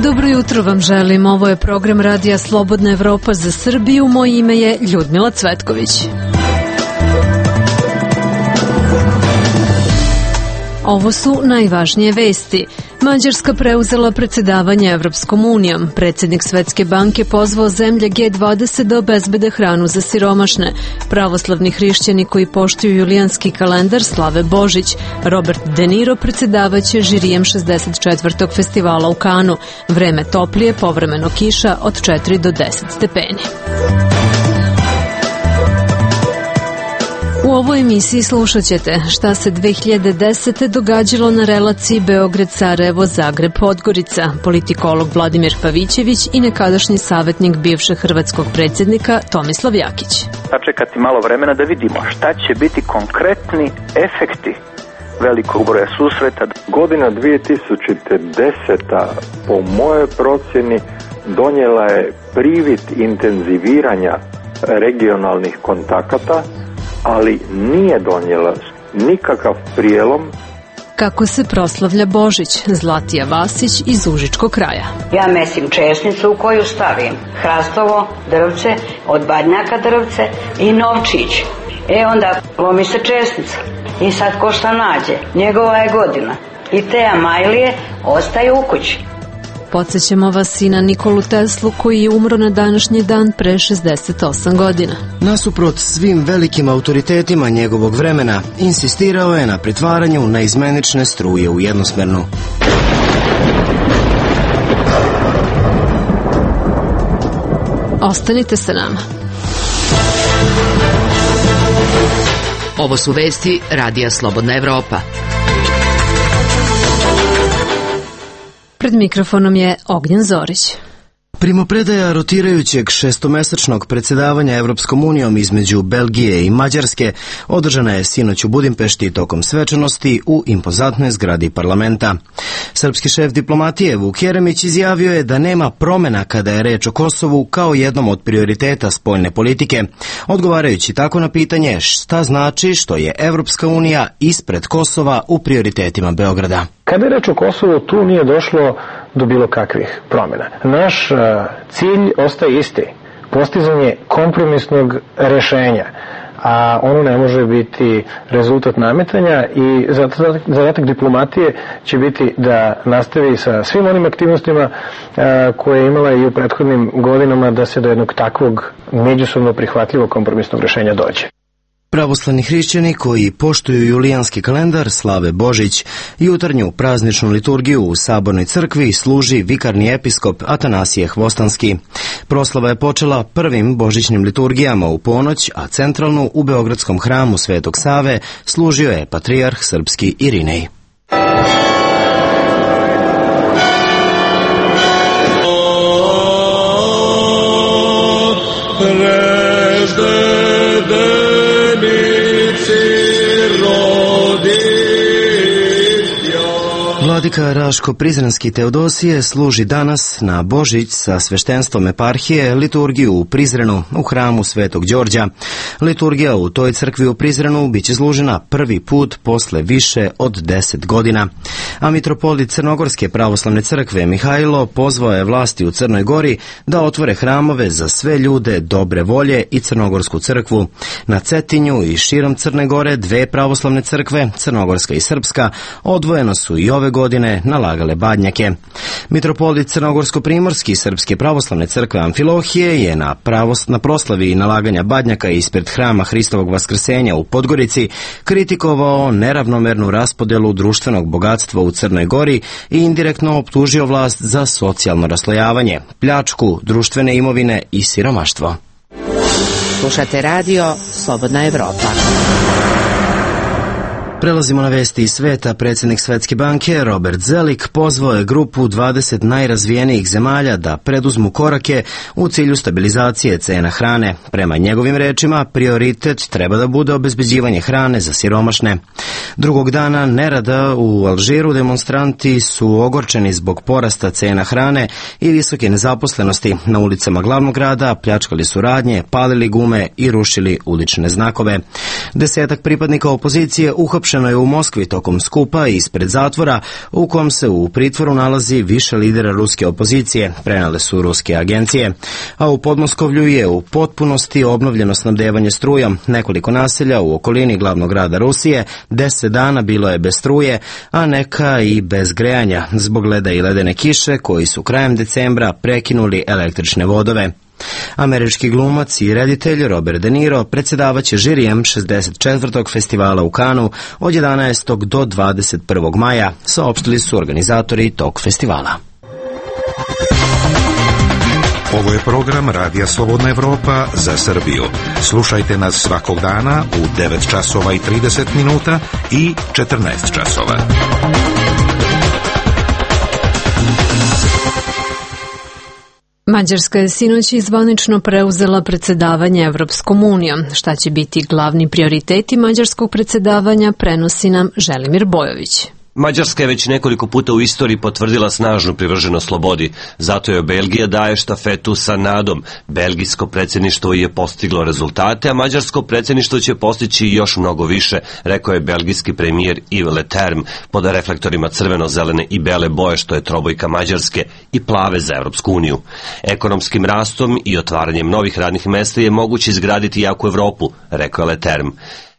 Dobro jutro vam želim. Ovo je program Radija Slobodna Evropa za Srbiju. Moje ime je Ljudmila Cvetković. Ovo su najvažnije vesti. Mađarska preuzela predsedavanje Evropskom unijom. Predsjednik Svetske banke pozvao zemlje G20 da obezbede hranu za siromašne. Pravoslavni hrišćani koji poštuju julijanski kalendar slave Božić. Robert De Niro predsedavaće žirijem 64. festivala u Kanu. Vreme toplije, povremeno kiša od 4 do 10 stepeni. U ovoj emisiji slušat ćete šta se 2010. događalo na relaciji Beograd-Sarajevo-Zagreb-Podgorica, politikolog Vladimir Pavićević i nekadašnji savjetnik bivšeg hrvatskog predsjednika Tomislav Jakić. Sačekati malo vremena da vidimo šta će biti konkretni efekti velikog broja susreta. Godina 2010. po mojoj procjeni donijela je privid intenziviranja regionalnih kontakata, ali nije donijela nikakav prijelom. Kako se proslavlja Božić? Zlatija Vasić iz Užičkog kraja. Ja mesim česnicu u koju stavim hrastovo drvce, od badnjaka drvce i novčić. Onda lomi se česnica i sad ko šta nađe, njegova je godina. I te amajlije ostaju u kući. Podsjećamo vas i na Nikolu Teslu koji je umro na današnji dan pre 68 godina. Nasuprot svim velikim autoritetima njegovog vremena, insistirao je na pretvaranju naizmenične struje u jednosmernu. Ostanite sa nama. Ovo su vesti Radija Slobodna Evropa. Pred mikrofonom je Ognjen Zorić. Primopredaja rotirajućeg šestomesečnog predsjedavanja Evropskom unijom između Belgije i Mađarske održana je sinoć u Budimpešti tokom svečanosti u impozantnoj zgradi parlamenta. Srpski šef diplomatije Vuk Jeremić izjavio je da nema promjena kada je reč o Kosovu kao jednom od prioriteta spoljne politike, odgovarajući tako na pitanje šta znači što je Evropska unija ispred Kosova u prioritetima Beograda. Kada je reč o Kosovu, tu nije došlo do bilo kakvih promjena. Naš cilj ostaje isti, postizanje kompromisnog rješenja, a ono ne može biti rezultat nametanja i zadatak diplomatije će biti da nastavi sa svim onim aktivnostima koje je imala i u prethodnim godinama da se do jednog takvog međusobno prihvatljivog kompromisnog rješenja dođe. Pravoslavni hrišćani koji poštuju julijanski kalendar slave Božić, jutarnju prazničnu liturgiju u Sabornoj crkvi služi vikarni episkop Atanasije Hvostanski. Proslava je počela prvim božićnim liturgijama u ponoć, a centralnu u Beogradskom hramu Svetog Save služio je patrijarh srpski Irinej. Vladika Raško-Prizrenski Teodosije služi danas na Božić sa sveštenstvom eparhije liturgiju u Prizrenu u hramu Svetog Đorđa. Liturgija u toj crkvi u Prizrenu biće izlužena prvi put posle više od 10 godina. A mitropolit Crnogorske pravoslavne crkve Mihajlo pozvao je vlasti u Crnoj Gori da otvore hramove za sve ljude dobre volje i Crnogorsku crkvu. Na Cetinju i širom Crne Gore dve pravoslavne crkve, Crnogorska i Srpska, odvojeno su i ove godine nalagale badnjake. Mitropolit Crnogorsko-primorski Srpske pravoslavne crkve Amfilohije je na proslavi nalaganja badnjaka ispred hrama Hristovog vaskrsenja u Podgorici kritikovao neravnomernu raspodelu društvenog bogatstva u Crnoj Gori i indirektno optužio vlast za socijalno raslojavanje, pljačku društvene imovine i siromaštvo. Slušate radio Slobodna Evropa. Prelazimo na vesti iz sveta. Predsjednik Svetske banke Robert Zelik pozvao je grupu 20 najrazvijenijih zemalja da preduzmu korake u cilju stabilizacije cena hrane. Prema njegovim rečima, prioritet treba da bude obezbeđivanje hrane za siromašne. Drugog dana nerada u Alžiru demonstranti su ogorčeni zbog porasta cena hrane i visoke nezaposlenosti. Na ulicama glavnog grada pljačkali su radnje, palili gume i rušili ulične znakove. 10 pripadnika opozicije uhapšeni priopšteno je u Moskvi tokom skupa ispred zatvora u kom se u pritvoru nalazi više lidera ruske opozicije, prenale su ruske agencije. A u Podmoskovlju je u potpunosti obnovljeno snabdevanje strujom. Nekoliko naselja u okolini glavnog grada Rusije 10 dana bilo je bez struje, a neka i bez grejanja, zbog leda i ledene kiše koji su krajem decembra prekinuli električne vodove. Američki glumac i reditelj Robert De Niro predsjedavaće žirijem 64. festivala u Kanu od 11. do 21. maja, saopštili su organizatori tog festivala. Ovo je program Radija Slobodna Evropa za Srbiju. Slušajte nas svakog dana u 9 časova i 30 minuta i 14 časova. Mađarska je sinoć zvanično preuzela predsjedavanje Evropskom unijom. Šta će biti glavni prioriteti mađarskog predsjedavanja, prenosi nam Želimir Bojović. Mađarska je već nekoliko puta u istoriji potvrdila snažnu privrženost slobodi, zato je Belgija daje štafetu sa nadom. Belgijsko predsjedništvo je postiglo rezultate, a mađarsko predsjedništvo će postići još mnogo više, rekao je belgijski premijer Yves Leterme pod reflektorima crveno-zelene i bele boje, što je trobojka Mađarske, i plave za Evropsku uniju. Ekonomskim rastom i otvaranjem novih radnih mesta je moguće izgraditi jaku Evropu, rekao je Leterme.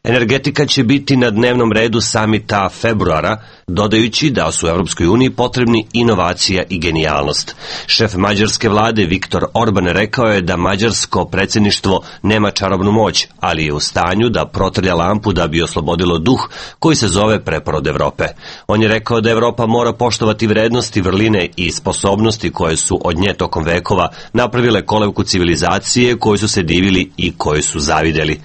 Energetika će biti na dnevnom redu samita februara, dodajući da su u Evropskoj uniji potrebni inovacija i genijalnost. Šef mađarske vlade Viktor Orban rekao je da mađarsko predsjedništvo nema čarobnu moć, ali je u stanju da protrlja lampu da bi oslobodilo duh koji se zove preporod Evrope. On je rekao da Evropa mora poštovati vrednosti, vrline i sposobnosti koje su od nje tokom vekova napravile kolevku civilizacije koju su se divili i koju su zavideli.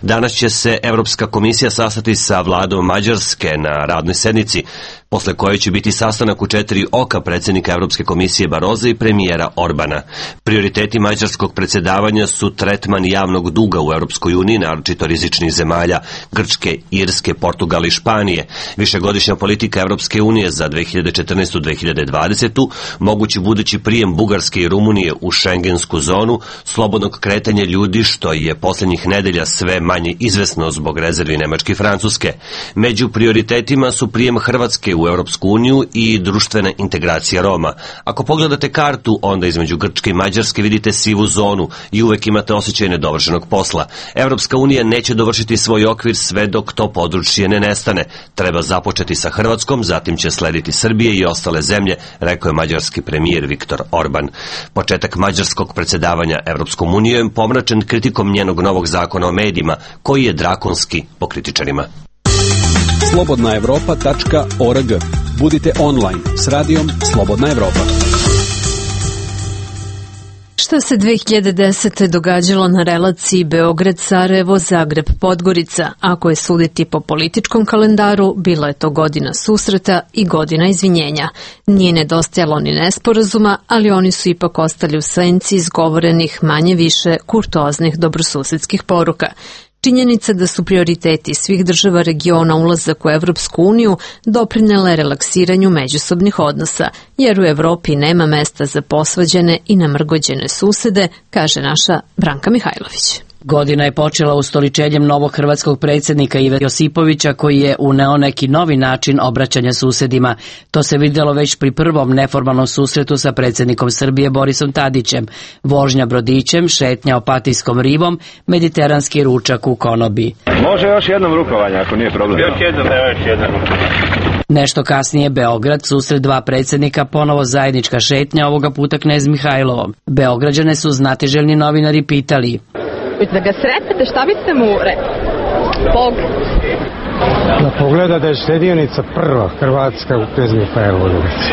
Danas će se Evropska komisija sastati sa vladom Mađarske na radnoj sednici, posle koje će biti sastanak u 4 oka predsjednika Evropske komisije Baroza i premijera Orbana. Prioriteti mađarskog predsjedavanja su tretman javnog duga u Evropskoj uniji, naročito rizičnih zemalja Grčke, Irske, Portugala i Španije, višegodišnja politika Evropske unije za 2014-2020, mogući budući prijem Bugarske i Rumunije u šengensku zonu, slobodnog kretanja ljudi, što je posljednjih nedelja sve manje izvesno zbog rezervi Nemačke i Francuske. Među prioritetima su prijem Hrvatske u Europsku uniju i društvena integracija Roma. Ako pogledate kartu, onda između Grčke i Mađarske vidite sivu zonu i uvek imate osjećaj nedovršenog posla. Evropska unija neće dovršiti svoj okvir sve dok to područje ne nestane. Treba započeti sa Hrvatskom, zatim će slediti Srbije i ostale zemlje, rekao je mađarski premijer Viktor Orban. Početak mađarskog predsjedavanja Evropskom unijom pomračen kritikom njenog novog zakona o medijima, koji je drakonski po kritičarima. slobodnaevropa.org. Budite online s radijom Slobodna Evropa. Šta se 2010. događalo na relaciji Beograd-Sarajevo-Zagreb-Podgorica? Ako je suditi po političkom kalendaru, bila je to godina susreta i godina izvinjenja. Nije nedostajalo ni nesporazuma, ali oni su ipak ostali u senci izgovorenih manje više kurtoaznih dobrosusedskih poruka. Činjenica da su prioriteti svih država regiona ulazak u Evropsku uniju doprinele relaksiranju međusobnih odnosa, jer u Evropi nema mesta za posvađene i namrgođene susede, kaže naša Branka Mihajlović. Godina je počela ustoličenjem novog hrvatskog predsjednika Ive Josipovića, koji je uneo neki novi način obraćanja susedima. To se vidjelo već pri prvom neformalnom susretu sa predsjednikom Srbije Borisom Tadićem, vožnja brodićem, šetnja Opatijskom rivom, mediteranski ručak u konobi. Može još jednom rukovanje, ako nije problem. Još jednom. Nešto kasnije Beograd, susret dva predsjednika, ponovo zajednička šetnja, ovoga puta knez Mihajlovom. Beograđane su znatiželjni novinari pitali: da ga sretnete, šta biste mu rekli? Da pogleda da je štedionica prva Hrvatska u knez Mihajlovoj ulici.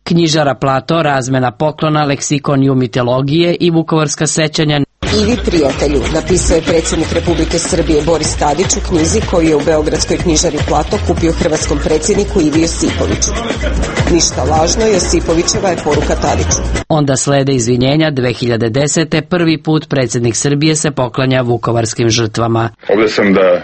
Knjižara Plato, razmena poklona, leksikon mitologije i vukovarska sećanja. Ivi prijatelju, napisao je predsjednik Republike Srbije Boris Tadić u knjizi koju je u beogradskoj knjižari Plato kupio hrvatskom predsjedniku Ivi Josipoviću. Ništa lažno, Josipovićeva je poruka Tadiću. Onda slede izvinjenja. 2010. prvi put predsjednik Srbije se poklanja vukovarskim žrtvama. Ovdje sam da,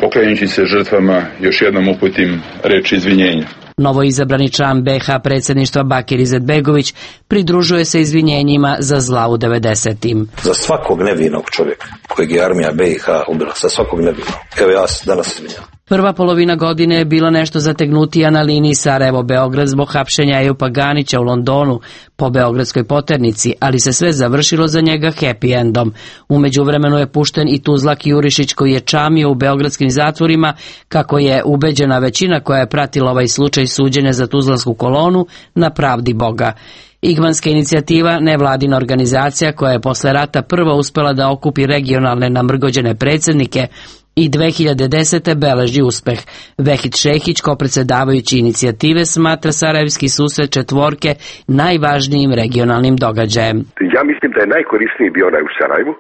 poklanjajući se žrtvama, još jednom uputim reč izvinjenja. Novoizabrani član BiH predsjedništva Bakir Izetbegović pridružuje se izvinjenjima za zla u 90-im. Za svakog nevinog čovjeka kojeg je armija BiH ubila, sa svakog nebiva. Evo ja se danas izvinjam. Prva polovina godine je bila nešto zategnutija na liniji Sarajevo-Beograd zbog hapšenja Ejupa Ganića u Londonu po Beogradskoj poternici, ali se sve završilo za njega happy endom. U međuvremenu je pušten i Tuzlak Jurišić koji je čamio u beogradskim zatvorima, kako je ubeđena većina koja je pratila ovaj slučaj suđenja za tuzlansku kolonu na pravdi Boga. Igmanska inicijativa, nevladina organizacija koja je posle rata prva uspela da okupi regionalne namrgođene predsjednike, i 2010. beleži uspeh. Vehid Šehić, kao predsjedavajući inicijative, smatra Sarajevski susret četvorke najvažnijim regionalnim događajem. Ja mislim da je najkorisniji bio onaj u Sarajevu.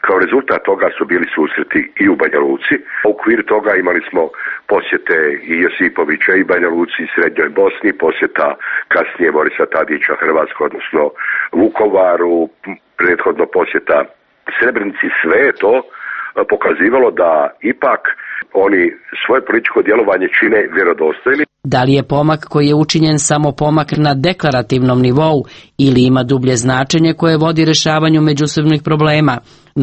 Kao rezultat toga su bili susreti i u Banja Luci. U okviru toga imali smo posjete i Josipovića i Banja Luci i Srednjoj Bosni, posjeta kasnije Borisa Tadića Hrvatskoj, odnosno Vukovaru, prethodno posjeta Srebrenici. Sve je to pokazivalo da ipak oni svoje političko djelovanje čine vjerodostojni. Da li je pomak koji je učinjen samo pomak na deklarativnom nivou ili ima dublje značenje koje vodi rješavanju međusobnih problema,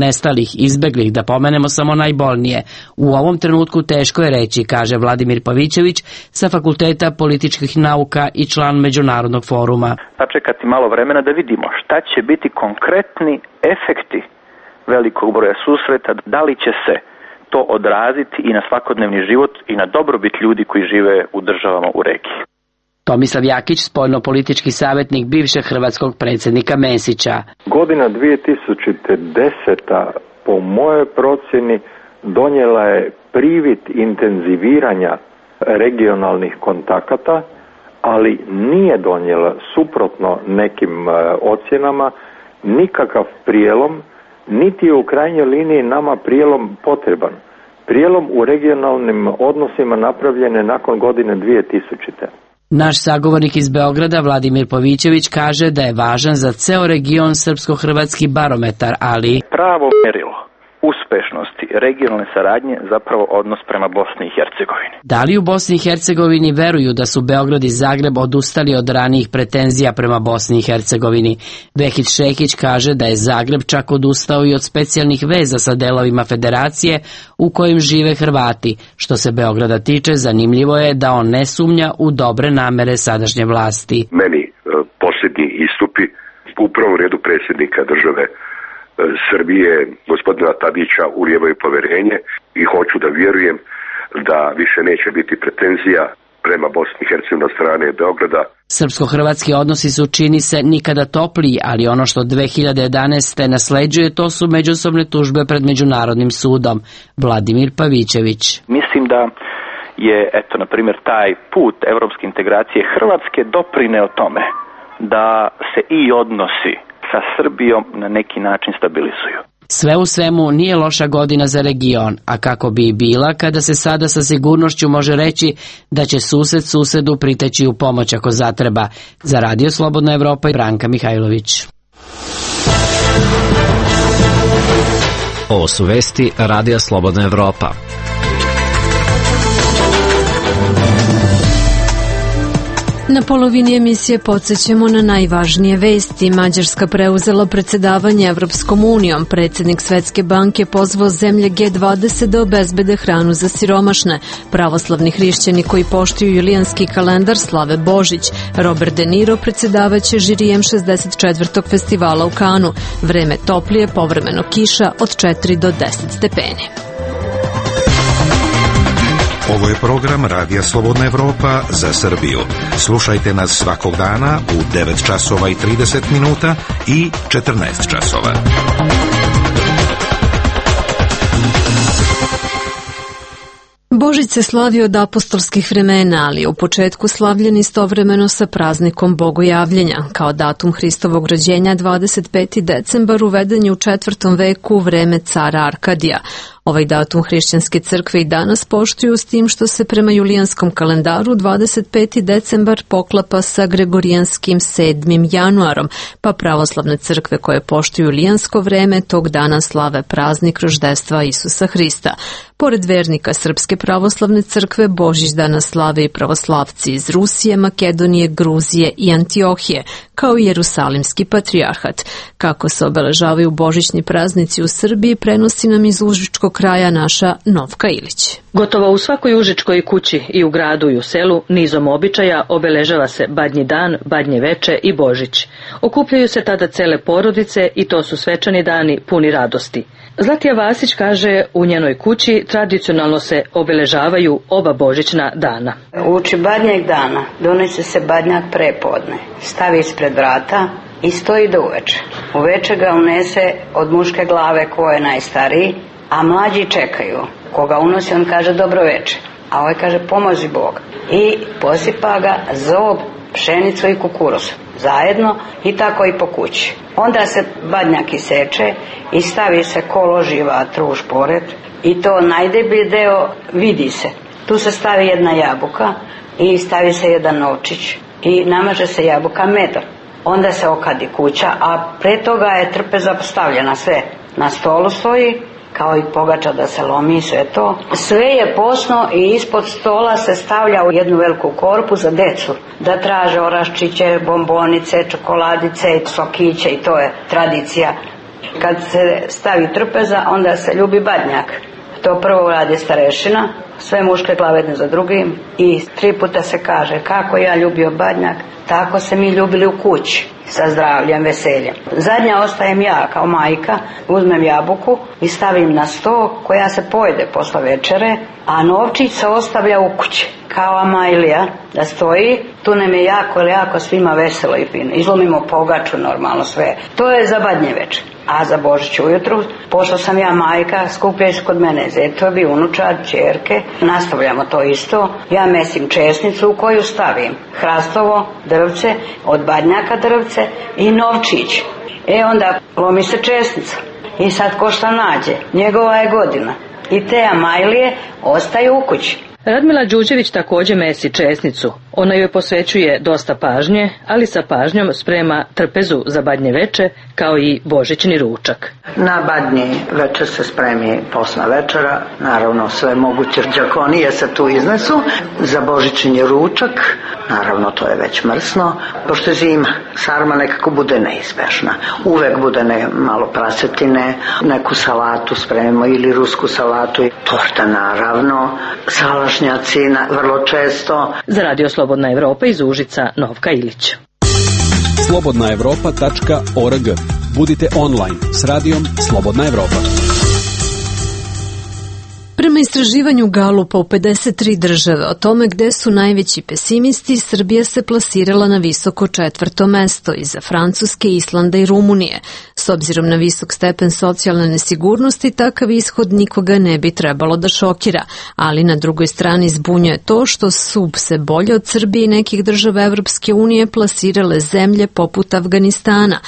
nestalih, izbeglih, da pomenemo samo najbolnije? U ovom trenutku teško je reći, kaže Vladimir Pavićević sa Fakulteta političkih nauka i član Međunarodnog foruma. Sačekati malo vremena da vidimo šta će biti konkretni efekti velikog broja susreta, da li će se to odraziti i na svakodnevni život i na dobrobit ljudi koji žive u državama u regiji. Tomislav Jakić, spoljnopolitički savjetnik bivšeg hrvatskog predsjednika Mesića. Godina 2010. po mojoj procjeni donijela je privid intenziviranja regionalnih kontakata, ali nije donijela, suprotno nekim ocjenama, nikakav prijelom, niti je u krajnjoj liniji nama prijelom potreban. Prijelom u regionalnim odnosima napravljen je nakon godine 2000. Naš sagovornik iz Beograda, Vladimir Pavićević, kaže da je važan za ceo region srpsko-hrvatski barometar, ali pravo mjerilo uspešnosti regionalne saradnje zapravo odnos prema Bosni i Hercegovini. Da li u Bosni i Hercegovini veruju da su Beograd i Zagreb odustali od ranijih pretenzija prema Bosni i Hercegovini? Vehid Šehić kaže da je Zagreb čak odustao i od specijalnih veza sa delovima federacije u kojim žive Hrvati. Što se Beograda tiče, zanimljivo je da on ne sumnja u dobre namere sadašnje vlasti. Meni posljednji istupi u prvom redu predsjednika države Srbije, gospodina Tadića, ulijevaju povjerenje i hoću da vjerujem da više neće biti pretenzija prema Bosni i Hercegovini od strane Beograda. Srpsko-hrvatski odnosi su, čini se, nikada topliji, ali ono što 2011. nasleđuje, to su međusobne tužbe pred Međunarodnim sudom. Vladimir Pavićević. Mislim da je, na primjer, taj put evropske integracije Hrvatske doprineo tome da se i odnosi sa Srbijom na neki način stabilizuju. Sve u svemu nije loša godina za region, a kako bi i bila kada se sada sa sigurnošću može reći da će sused susedu priteći u pomoć ako zatreba. Za Radio Slobodna Evropa i Branka Mihajlović. Ovo su vesti Radija Slobodna Evropa. Na polovini emisije podsjećamo na najvažnije vesti. Mađarska preuzela predsjedavanje Evropskom unijom. Predsjednik Svetske banke pozvao zemlje G20 da obezbede hranu za siromašne. Pravoslavni hrišćani koji poštuju julijanski kalendar slave Božić. Robert De Niro predsjedavaće žirijem 64. festivala u Kanu. Vreme toplije, povremeno kiša od 4 do 10 stepeni. Ovo je program Radija Slobodna Evropa za Srbiju. Slušajte nas svakog dana u 9 časova i 30 minuta i 14 časova. Božić se slavi od apostolskih vremena, ali u početku slavljen istovremeno sa praznikom Bogojavljenja. Kao datum Hristovog rođenja 25. decembar uveden je u 4. veku u vreme cara Arkadija. Ovaj datum hrišćanske crkve i danas poštuju, s tim što se prema julijanskom kalendaru 25. decembar poklapa sa gregorijanskim 7. januarom, pa pravoslavne crkve koje poštuju julijansko vreme tog dana slave praznik roždestva Isusa Hrista. Pored vernika Srpske pravoslavne crkve, Božić danas slave i pravoslavci iz Rusije, Makedonije, Gruzije i Antiohije, kao i Jerusalimski patrijarhat. Kako se obeležavaju božićni praznici u Srbiji, prenosi nam iz užičkog kraja naša Novka Ilić. Gotovo u svakoj užičkoj kući i u gradu i u selu nizom običaja obeležava se Badnji dan, Badnje veče i Božić. Okupljaju se tada cele porodice i to su svečani dani puni radosti. Zlatija Vasić kaže u njenoj kući tradicionalno se obeležavaju oba božićna dana. Uoči Badnjeg dana donese se badnjak prepodne, stavi ispred vrata i stoji do uveče. Uveče ga unese od muške glave ko je najstariji, a mlađi čekaju. Koga unosi, on kaže dobro veče, a ovaj kaže pomozi Bog. I posipa ga zob, pšenicu i kukuruz zajedno i tako i po kući. Onda se badnjak iseče i stavi se ko loži vatru u šporet i to najdeblji deo vidi se. Tu se stavi jedna jabuka i stavi se jedan novčić i namaže se jabuka medom. Onda se okadi kuća, a pre toga je trpeza postavljena sve. Na stolu stoji, kao i pogača da se lomi, sve to. Sve je posno i ispod stola se stavlja u jednu veliku korpu za decu, da traže oraščiće, bombonice, čokoladice, sokiće i to je tradicija. Kad se stavi trpeza, onda se ljubi badnjak. To prvo radi starešina, sve muške glave jedne za drugim i 3 puta se kaže kako ja ljubio badnjak, tako se mi ljubili u kući, sa zdravljem, veseljem. Zadnja ostajem ja kao majka, uzmem jabuku i stavim na sto koja se pojede posle večere, a novčić se ostavlja u kući kao amajlija da stoji. Tu nam je jako svima veselo i fino. Izlomimo pogaču normalno sve. To je za Badnje večer. A za Božić ujutru, pošto sam ja majka, skupljaju se kod mene zetovi, unučad, ćerke, nastavljamo to isto. Ja mesim česnicu u koju stavim hrastovo drvce, od badnjaka drvce i novčić. Onda lomi se česnica i sad ko šta nađe, njegova je godina. I te amajlije ostaju u kući. Radmila Đuđević također mesi česnicu. Ona joj posvećuje dosta pažnje, ali sa pažnjom sprema trpezu za Badnje veče, kao i božićni ručak. Na Badnje veče se spremi posna večera, naravno sve moguće đakonije se tu iznesu. Za božićni ručak, naravno to je već mrsno, pošto je zima, sarma nekako bude neizbežna. Uvek bude malo prasetine, neku salatu spremimo ili rusku salatu, torta naravno, salašnjaci vrlo često. Za Radio Slobodna Evropa iz Užica, Novka Ilić. slobodnaevropa.org. Budite online s radijom Slobodna Evropa. Prema istraživanju Galupa u 53 države o tome gde su najveći pesimisti, Srbija se plasirala na visoko 4. mesto iza Francuske, Islanda i Rumunije. S obzirom na visok stepen socijalne nesigurnosti, takav ishod nikoga ne bi trebalo da šokira, ali na drugoj strani zbunjuje to što su se bolje od Srbije i nekih država Evropske unije plasirale zemlje poput Afganistana.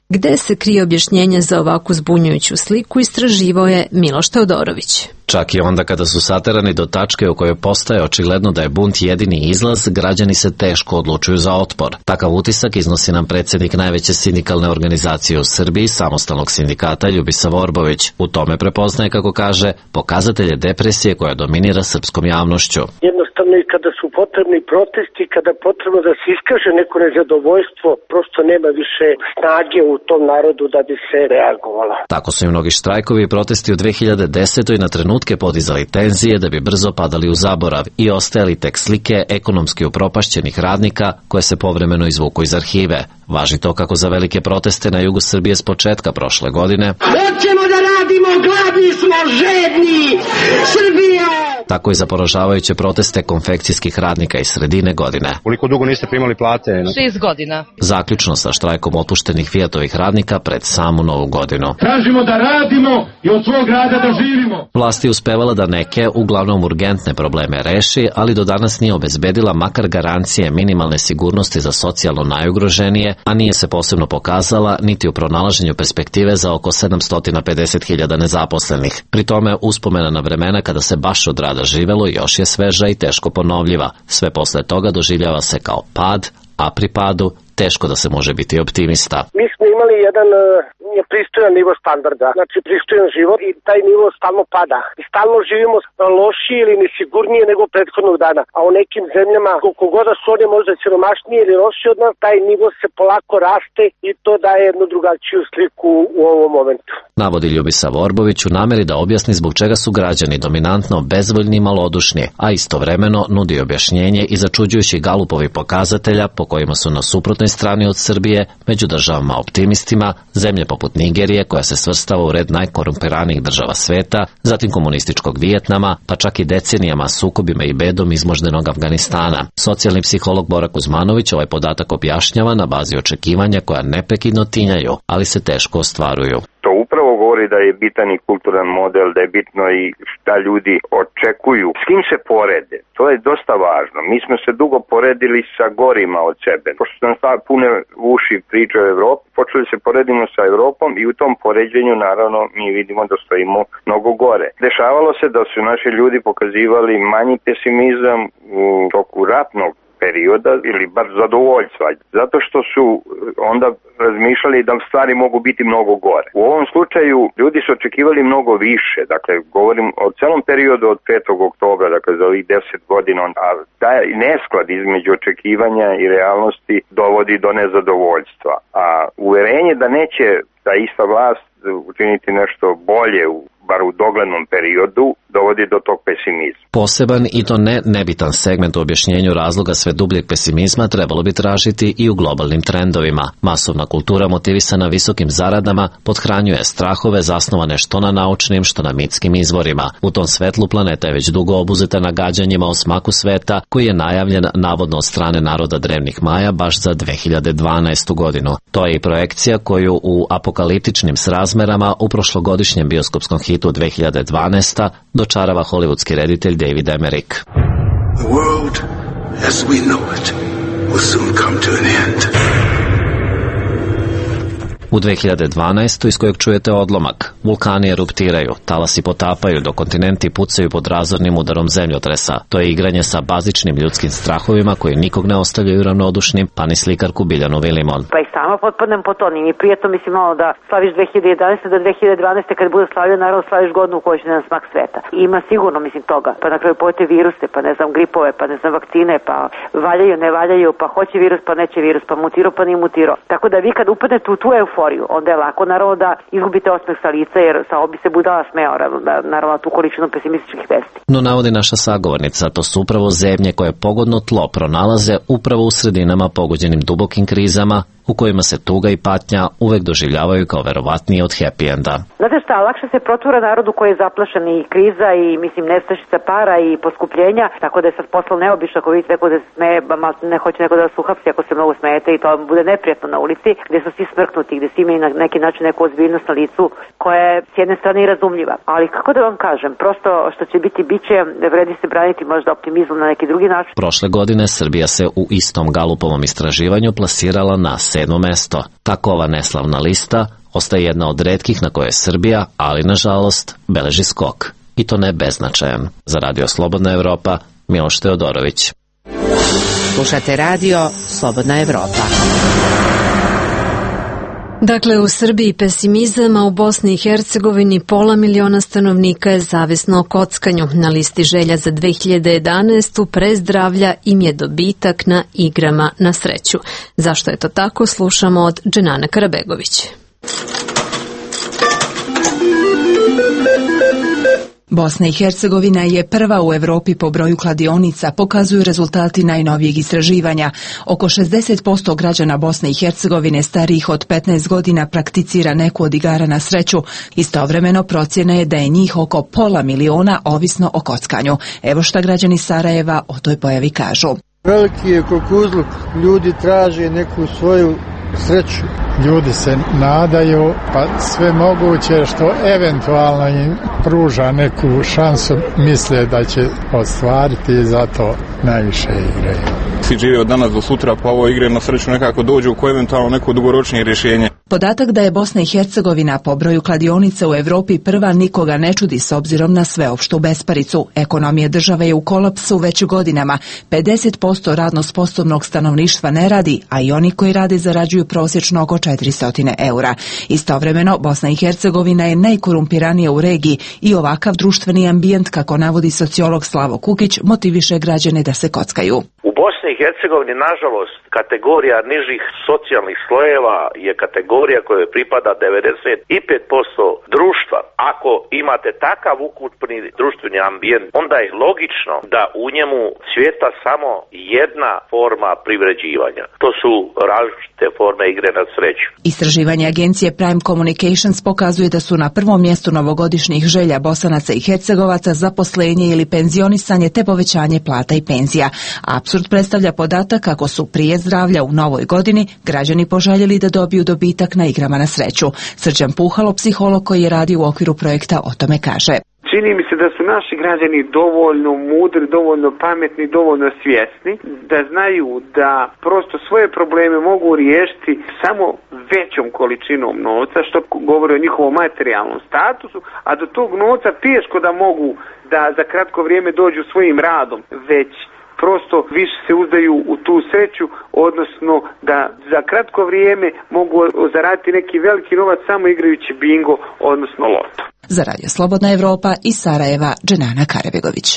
Gde se krije objašnjenje za ovakvu zbunjujuću sliku, istraživao je Miloš Teodorović. Čak i onda kada su saterani do tačke u kojoj postaje očigledno da je bunt jedini izlaz, građani se teško odlučuju za otpor. Takav utisak iznosi nam predsjednik najveće sindikalne organizacije u Srbiji, Samostalnog sindikata Ljubisa Vorbović. U tome prepoznaje, kako kaže, pokazatelje depresije koja dominira srpskom javnošću. Jednostavno i kada su potrebni protesti, kada potrebno da se iskaže neko nezadovoljstvo, prosto nema više snage u tom narodu da bi se reagovala. Tako su i mnogi štrajkovi i protesti u 2010. na trenutke podizali tenzije da bi brzo padali u zaborav i ostajali tek slike ekonomski upropašćenih radnika koje se povremeno izvuku iz arhive. Važi to kako za velike proteste na jugu Srbije s početka prošle godine. Hoćemo da radimo, gladni smo, žedni, Srbija! Tako i za poražavajuće proteste konfekcijskih radnika iz sredine godine. Koliko dugo niste primali plate? 6 godina. Zaključno sa štrajkom otpuštenih Fijatovih radnika pred samu Novu godinu. Tražimo da radimo i od svog rada da živimo. Vlast je uspevala da neke, uglavnom urgentne probleme reši, ali do danas nije obezbedila makar garancije minimalne sigurnosti za socijalno najugroženije, a nije se posebno pokazala niti u pronalaženju perspektive za oko 750.000 nezaposlenih. Pri tome uspomena na vremena kada se baš od rada živelo još je sveža i teško ponovljiva. Sve posle toga doživljava se kao pad, a pri padu teško da se može biti optimista. Mi smo imali jedan pristojan nivo standarda, znači pristojan život i taj nivo stalno pada. I stalno živimo lošije ili nesigurnije nego prethodnog dana. A u nekim zemljama, koliko god da su one možda siromašnije ili lošije od nas, taj nivo se polako raste i to daje jednu drugačiju sliku u ovom momentu. Navodi Ljubisav Orbović u nameri da objasni zbog čega su građani dominantno bezvoljni i malodušni, a istovremeno nudi objašnjenje i začuđujući Galupovi pokazatelja po kojima su na suprotnoj strani od Srbije, među državama optimistima, zemlje poput Nigerije koja se svrstava u red najkorumpiranijih država sveta, zatim komunističkog Vijetnama, pa čak i decenijama sukobima i bedom izmoždenog Afganistana. Socijalni psiholog Bora Kuzmanović ovaj podatak objašnjava na bazi očekivanja koja neprekidno tinjaju, ali se teško ostvaruju. To upravo govori da je bitan i kulturan model, da je bitno i šta ljudi očekuju, s kim se porede. To je dosta važno. Mi smo se dugo poredili sa gorima od sebe. Pošto nam pune uši priče o Evropi, počeli se poredimo sa Evropom i u tom poređenju naravno mi vidimo da stojimo mnogo gore. Dešavalo se da su naši ljudi pokazivali manji pesimizam u toku ratnog perioda ili bar zadovoljstva, zato što su onda razmišljali da stvari mogu biti mnogo gore. U ovom slučaju ljudi su očekivali mnogo više, dakle govorim o celom periodu od 5. oktobra, dakle za ovih 10 godina, a taj nesklad između očekivanja i realnosti dovodi do nezadovoljstva. A uverenje da neće ta ista vlast učiniti nešto bolje bar u doglednom periodu, dovodi do tog pesimizma. Poseban i to nebitan segment u objašnjenju razloga sve dubljeg pesimizma trebalo bi tražiti i u globalnim trendovima. Masovna kultura motivisana visokim zaradama pothranjuje strahove zasnovane što na naučnim, što na mitskim izvorima. U tom svetlu planeta je već dugo obuzeta nagađanjima o smaku sveta koji je najavljen navodno od strane naroda drevnih Maja baš za 2012. godinu. To je i projekcija koju u apokaliptičnim srazmerama u prošlogodišnjem bioskopskom hitu 2012. dočarava hollywoodski reditelj David Emmerich. The world as we know it will soon come to an end. U 2012. iz kojeg čujete odlomak, vulkani eruptiraju, talasi potapaju, dok kontinenti pucaju pod razornim udarom zemljotresa. To je igranje sa bazičnim ljudskim strahovima koji nikog ne ostavljaju ravnodušnim, pa ni slikarku Biljanu Vilimon. Pa i sama potpadnem po to, nije mi prijetno, mislim, malo da slaviš 2011. do 2012. kad bude slavio, naravno slaviš godinu u kojoj će na smak sveta. I ima sigurno, mislim, toga. Pa na kraju pojete viruse, pa ne znam, gripove, pa ne znam, vakcine, pa valjaju, ne valjaju, pa hoće virus, pa neće virus, pa mutirao, pa nije mutirao. Tako da vi kad upadnete u tu euforiju, onda je lako naravno da izgubite osmeh sa lica, jer samo bi se budala smeo naravno tu količinu pesimističkih vesti. No navodi naša sagovornica, to su upravo zemlje koje pogodno tlo pronalaze upravo u sredinama pogođenim dubokim krizama, u kojima se tuga i patnja uvek doživljavaju kao verovatnije od happy enda. Znate šta, lakše se protura narodu koji je zaplašen i kriza i mislim nestašica para i poskupljenja, tako da je sad posla neobično ako vidite neko da se smeje, ne hoće neko da vas uhapsi ako se mnogo smejete i to bude neprijatno na ulici, gdje su svi smrknuti, gdje svi imaju na neki način neku ozbiljnost na licu koja je s jedne strane i razumljiva. Ali kako da vam kažem, prosto što će biti biće, vredi se braniti možda optimizmom na neki drugi način. Prošle godine Srbija se u istom Galupovom istraživanju plasirala na 7. mesto. Tako ova neslavna lista ostaje jedna od retkih na koje Srbija, ali nažalost, beleži skok. I to ne beznačajan. Za Radio Slobodna Evropa, Miloš Teodorović. Slušate Radio Slobodna Evropa. Dakle, u Srbiji pesimizam, a u Bosni i Hercegovini 500 miliona stanovnika je zavisno o kockanju. Na listi želja za 2011. pre zdravlja im je dobitak na igrama na sreću. Zašto je to tako, slušamo od Dženane Karabegović. Bosna i Hercegovina je prva u Evropi po broju kladionica, pokazuju rezultati najnovijeg istraživanja. Oko 60% građana Bosne i Hercegovine starijih od 15 godina prakticira neku od igara na sreću. Istovremeno procjena je da je njih oko 500 miliona ovisno o kockanju. Evo šta građani Sarajeva o toj pojavi kažu. Veliki je kukuruzluk, ljudi traže neku svoju sreću. Ljudi se nadaju, pa sve moguće što eventualno im pruža neku šansu, misle da će ostvariti i zato najviše igraju. Svi žive od danas do sutra, pa ovo igre na sreću nekako dođu u koje eventualno neko dugoročnije rješenje. Podatak da je Bosna i Hercegovina po broju kladionica u Evropi prva nikoga ne čudi s obzirom na sveopštu besparicu. Ekonomija države je u kolapsu već godinama. 50% radno sposobnog stanovništva ne radi, a i oni koji rade zarađuju prosječno oko 400 eura. Istovremeno, Bosna i Hercegovina je najkorumpiranija u regiji i ovakav društveni ambijent, kako navodi sociolog Slavo Kukić, motiviše građane da se kockaju. U Bosni i Hercegovini, nažalost, kategorija nižih socijalnih slojeva je kategorija kojoj pripada 95% društva. Ako imate takav ukupni društveni ambijent, onda je logično da u njemu cvjeta samo jedna forma privređivanja. To su različite forme igre na sreću. Istraživanje agencije Prime Communications pokazuje da su na prvom mjestu novogodišnjih želja Bosanaca i Hercegovaca zaposlenje ili penzionisanje te povećanje plata i penzija. Apsurd predstavlja podatak kako su prije zdravlja u novoj godini građani poželjeli da dobiju dobitak na igrama na sreću. Srđan Puhalo, psiholog koji je radio u okviru projekta, o tome kaže. Čini mi se da su naši građani dovoljno mudri, dovoljno pametni, dovoljno svjesni, da znaju da prosto svoje probleme mogu riješiti samo većom količinom novca, što govori o njihovom materijalnom statusu, a do tog novca teško da mogu da za kratko vrijeme dođu svojim radom, već prosto više se uzdaju u tu sreću, odnosno da za kratko vrijeme mogu zaraditi neki veliki novac samo igrajući bingo, odnosno loto. Za Radio Slobodna Evropa iz Sarajeva, Dženana Karabegović.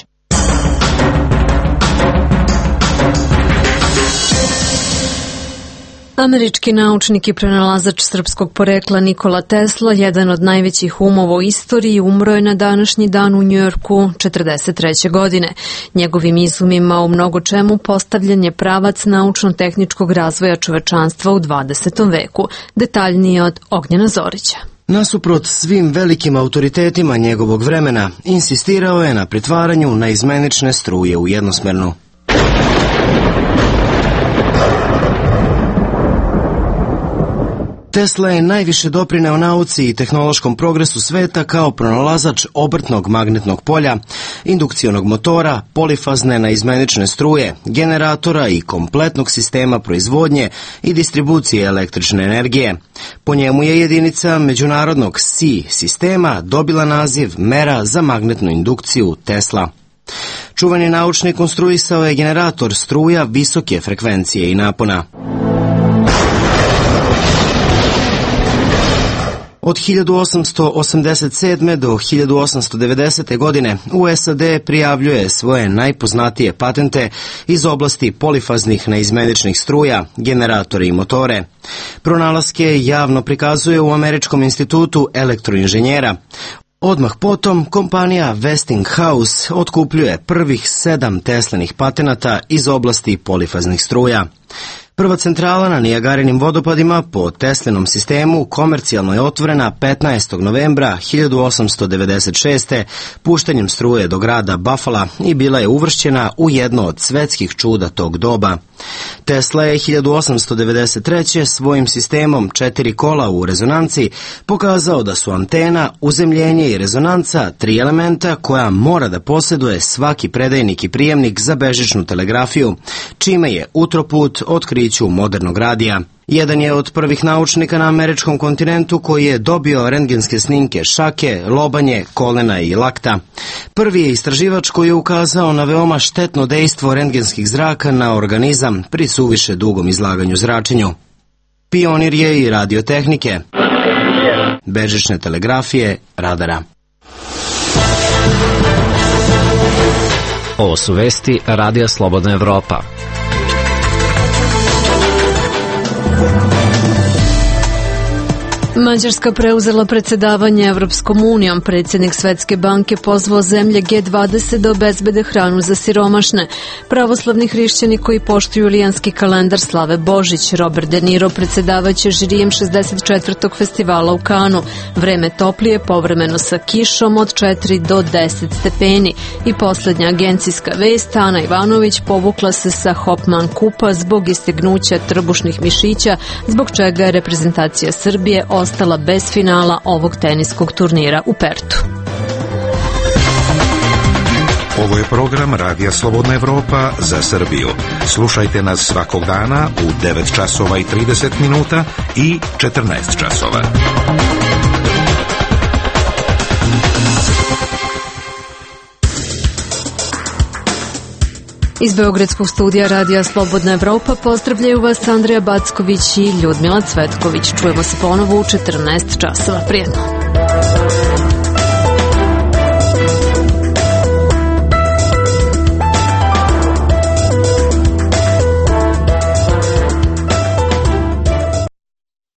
Američki naučnik i pronalazač srpskog porekla Nikola Tesla, jedan od najvećih umova u istoriji, umro je na današnji dan u Njujorku 43. godine. Njegovim izumima u mnogo čemu postavljen je pravac naučno-tehničkog razvoja čovečanstva u 20. veku. Detaljnije od Ognjena Zorića. Nasuprot svim velikim autoritetima njegovog vremena, insistirao je na pretvaranju naizmenične struje u jednosmernu. Tesla je najviše doprineo nauci i tehnološkom progresu sveta kao pronalazač obrtnog magnetnog polja, indukcionog motora, polifazne naizmenične struje, generatora i kompletnog sistema proizvodnje i distribucije električne energije. Po njemu je jedinica međunarodnog SI sistema dobila naziv mera za magnetnu indukciju Tesla. Čuveni naučnik konstruisao je generator struja visoke frekvencije i napona. Od 1887. do 1890. godine u SAD prijavljuje svoje najpoznatije patente iz oblasti polifaznih naizmeničnih struja, generatori i motore. Pronalaske javno prikazuje u Američkom institutu elektroinženjera. Odmah potom kompanija Westinghouse otkupljuje prvih 7 Teslinih patenata iz oblasti polifaznih struja. Prva centrala na Nijagarinim vodopadima po Teslinom sistemu komercijalno je otvorena 15. novembra 1896. puštanjem struje do grada Buffalo i bila je uvršćena u jedno od svetskih čuda tog doba. Tesla je 1893. svojim sistemom 4 kola u rezonanci pokazao da su antena, uzemljenje i rezonanca 3 elementa koja mora da posjeduje svaki predajnik i prijemnik za bežičnu telegrafiju, čime je utroput otkriću modernog radija. Jedan je od prvih naučnika na američkom kontinentu koji je dobio rentgenske snimke šake, lobanje, kolena i lakta. Prvi je istraživač koji je ukazao na veoma štetno dejstvo rentgenskih zraka na organizam pri suviše dugom izlaganju zračenju. Pionir je i radiotehnike, bežične telegrafije, radara. Ovo su vesti Radija Slobodna Evropa. Mađarska preuzela predsjedavanje Evropskom unijom. Predsjednik Svetske banke pozvao zemlje G20 da obezbede hranu za siromašne. Pravoslavni hrišćani koji poštuju julijanski kalendar slave Božić. Robert De Niro predsjedavaće žirijem 64. festivala u Kanu. Vreme toplije, povremeno sa kišom od 4 do 10 stepeni. I posljednja agencijska vest, Ana Ivanović povukla se sa Hopman kupa zbog istegnuća trbušnih mišića, zbog čega je reprezentacija Srbije ostala bez finala ovog teniskog turnira u Pertu. Ovo je program Radija Slobodna Evropa za Srbiju. Slušajte nas svakog dana u 9 časova i 30 minuta i 14 časova. Iz Beogradskog studija Radija Slobodna Evropa pozdravljaju vas Andreja Backović i Ljudmila Cvetković. Čujemo se ponovo u 14 časova. Prijetno.